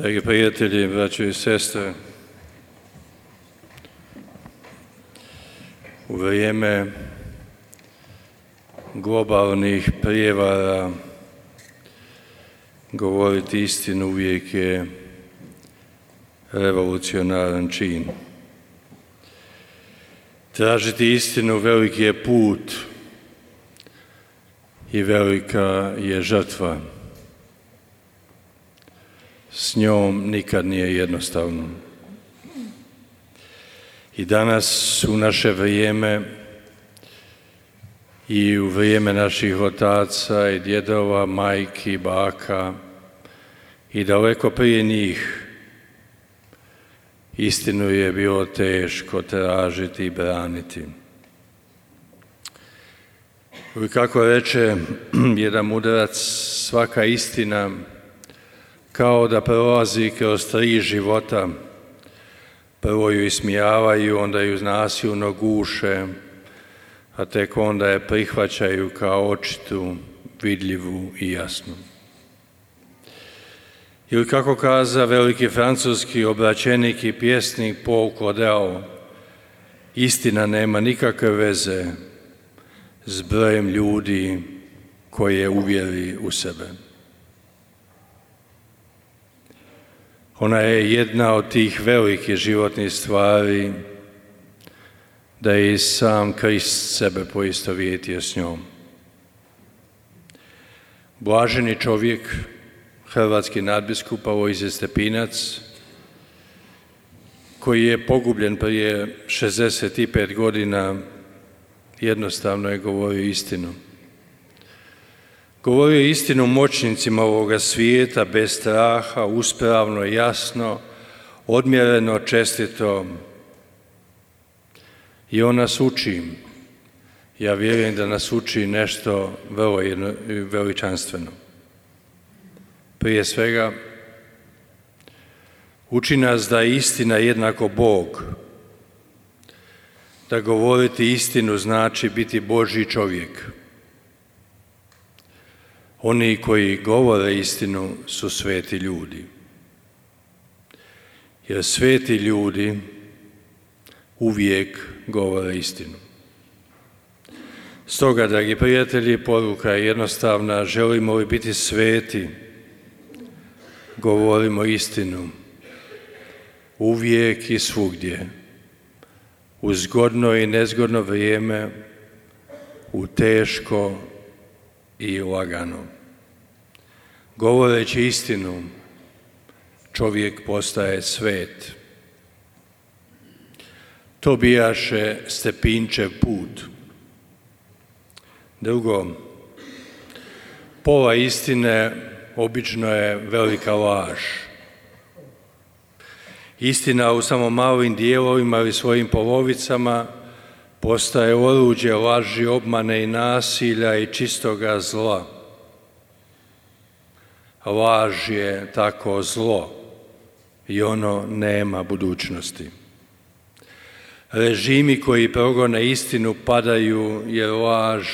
Dragi prijatelji, braćo i sestre, u vrijeme globalnih prijevara govoriti istinu uvijek je revolucionaran čin. Tražiti istinu veliki je put i velika je žrtva. S njom nikad nije jednostavno. I danas u naše vrijeme i u vrijeme naših otaca i djedova, majki, baka i daleko prije njih istinu je bilo teško tražiti i braniti. I kako reče jedan mudrac, svaka istina kao da prolazi kroz 3 života. Prvo ju ismijavaju, onda ju nasilno guše, a tek onda je prihvaćaju kao očitu, vidljivu i jasnu. Ili kako kaza veliki francuski obraćenik i pjesnik Paul Claudel, istina nema nikakve veze s brojem ljudi koje uvjeri u sebe. Ona je jedna od tih velikih životnih stvari da je i sam Krist sebe poistovjetio s njom. Blaženi čovjek, hrvatski nadbiskup Alojzije Stepinac, koji je pogubljen prije 65 godina, jednostavno je govorio istinu. Govorio je istinu moćnicima ovoga svijeta, bez straha, uspravno, jasno, odmjereno, čestito. I on nas uči. Ja vjerujem da nas uči nešto vrlo veličanstveno. Prije svega, uči nas da je istina jednako Bog. Da govoriti istinu znači biti Božji čovjek. Oni koji govore istinu su sveti ljudi. Jer sveti ljudi uvijek govore istinu. Stoga, dragi prijatelji, poruka je jednostavna. Želimo li biti sveti, govorimo istinu. Uvijek i svugdje. U zgodno i nezgodno vrijeme, u teško i lagano. Govoreći istinu, čovjek postaje svet. To bijaše Stepinčev put. Drugo, pola istine obično je velika laž. Istina u samo malim dijelovima ili svojim polovicama postaje oruđe laži, obmane i nasilja i čistoga zla. Laž je tako zlo i ono nema budućnosti. Režimi koji progone istinu padaju jer laž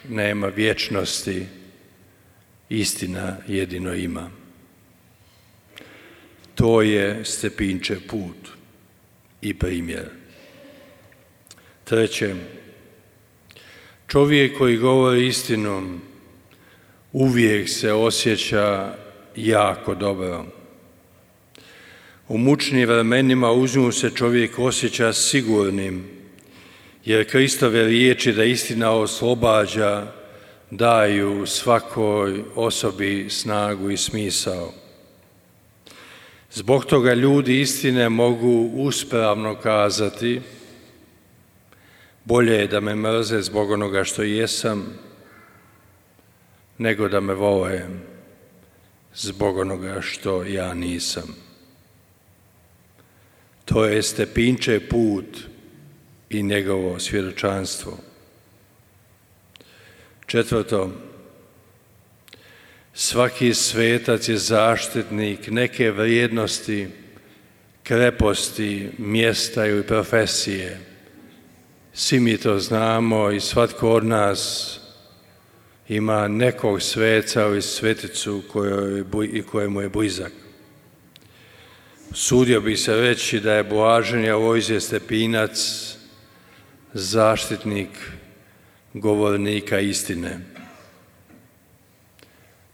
nema vječnosti. Istina jedino ima. To je Stepinčev put i primjer. Treće, čovjek koji govori istinu uvijek se osjeća jako dobro. U mučnim vremenima uz nju se čovjek osjeća sigurnim, jer Kristove riječi da istina oslobađa daju svakoj osobi snagu i smisao. Zbog toga ljudi istine mogu uspravno kazati: bolje je da me mrze zbog onoga što jesam, nego da me vole zbog onoga što ja nisam. To je Stepinčev put i njegovo svjedočanstvo. Četvrto, svaki svetac je zaštitnik neke vrijednosti, kreposti, mjesta ili profesije. Svi mi to znamo i svatko od nas ima nekog sveca ili sveticu kojemu je blizak. Sudio bi se reći da je blaženi Alojzije Stepinac zaštitnik govornika istine,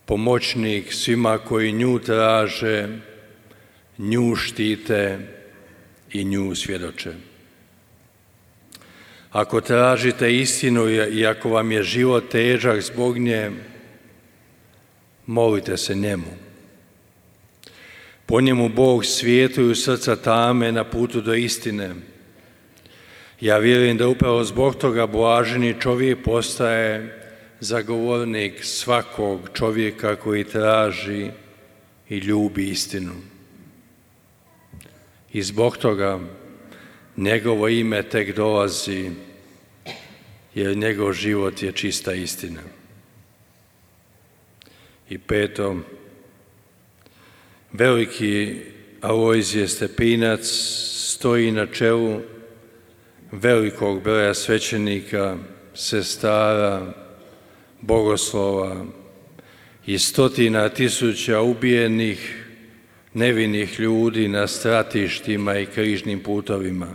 pomoćnik svima koji nju traže, nju štite i nju svjedoče. Ako tražite istinu i ako vam je život težak zbog nje, molite se njemu. Po njemu Bog svjetluju srca tame na putu do istine. Ja vjerujem da upravo zbog toga blaženi čovjek postaje zagovornik svakog čovjeka koji traži i ljubi istinu. I zbog toga njegovo ime tek dolazi, jer njegov život je čista istina. I peto, veliki Alojzije Stepinac stoji na čelu velikog broja svećenika, sestara, bogoslova i stotina tisuća ubijenih, nevinih ljudi na stratištima i križnim putovima.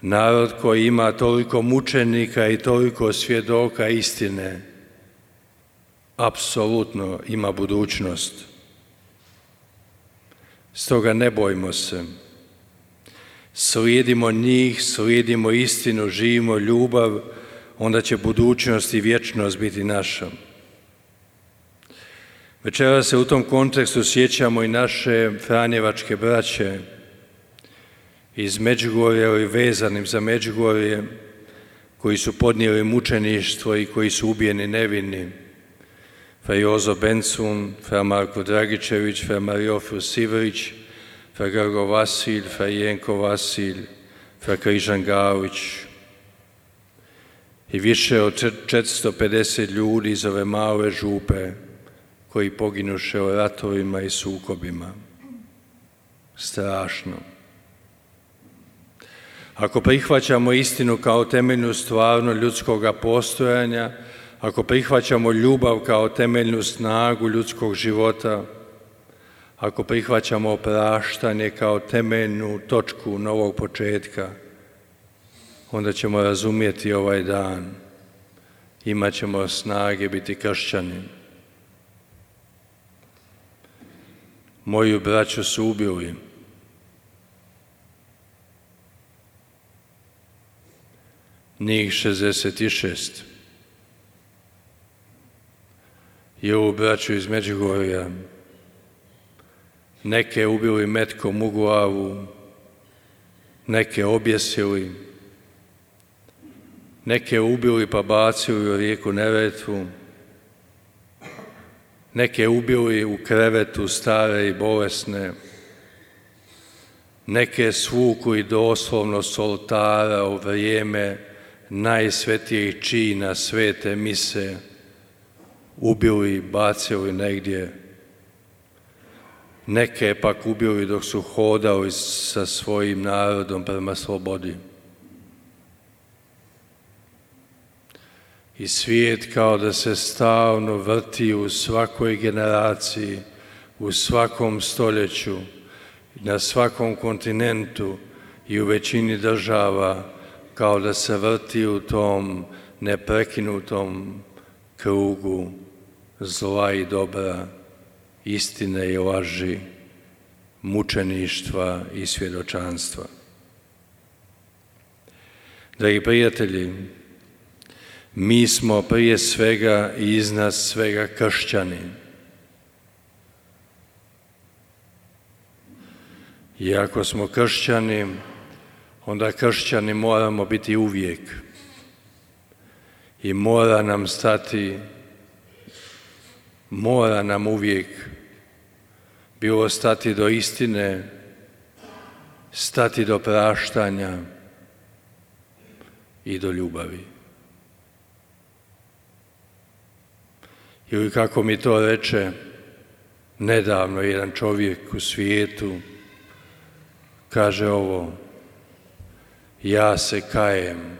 Narod koji ima toliko mučenika i toliko svjedoka istine, apsolutno ima budućnost. Stoga ne bojmo se. Slijedimo njih, slijedimo istinu, živimo ljubav, onda će budućnost i vječnost biti naša. Večeras se u tom kontekstu sjećamo i naše franjevačke braće iz Međugorja ili vezanim za Međugorje, koji su podnijeli mučeništvo i koji su ubijeni nevini. Fra Jozo Bencun, fra Marko Dragičević, fra Mariofil Sivrić, fra Grgo Vasilj, fra Jenko Vasilj, fra Križan Galić i više od 450 ljudi iz ove male župe koji poginuše u ratovima i sukobima. Strašno. Ako prihvaćamo istinu kao temeljnu stvarnost ljudskoga postojanja, ako prihvaćamo ljubav kao temeljnu snagu ljudskog života, ako prihvaćamo opraštanje kao temeljnu točku novog početka, onda ćemo razumjeti ovaj dan. Imat ćemo snage biti kršćani. Moju braću su ubili. Njih 66. I ovu braću iz Međugorja. Neke ubili metkom u glavu, neke objesili, neke ubili pa bacili u rijeku Neretvu, neke ubili u krevetu stare i bolesne, neke svukli doslovno s oltara u vrijeme najsvetijih čina svete mise, ubili, bacili negdje, neke pak ubili dok su hodali sa svojim narodom prema slobodi. I svijet kao da se stalno vrti u svakoj generaciji, u svakom stoljeću, na svakom kontinentu i u većini država, kao da se vrti u tom neprekinutom krugu zla i dobra, istine i laži, mučeništva i svjedočanstva. Dragi prijatelji, mi smo prije svega i iznad svega kršćani. I ako smo kršćani, onda kršćani moramo biti uvijek. I mora nam uvijek bilo stati do istine, stati do praštanja i do ljubavi. Ili kako mi to reče nedavno jedan čovjek u svijetu, kaže ovo: ja se kajem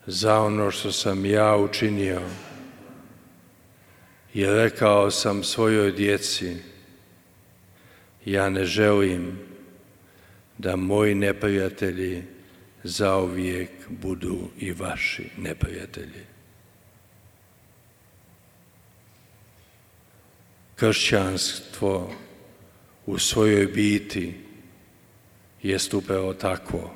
za ono što sam ja učinio i rekao sam svojoj djeci ja ne želim da moji neprijatelji zauvijek budu i vaši neprijatelji. Kršćanstvo u svojoj biti jest upravo takvo.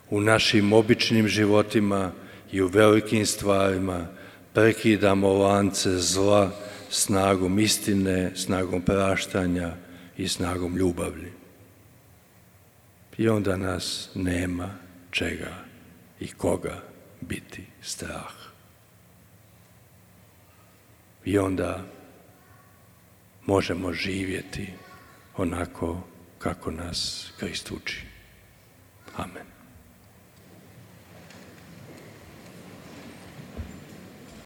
U našim običnim životima i u velikim stvarima prekidamo lance zla snagom istine, snagom praštanja i snagom ljubavi. I onda nas nema čega i koga biti strah. I onda možemo živjeti onako kako nas Krist uči. Amen.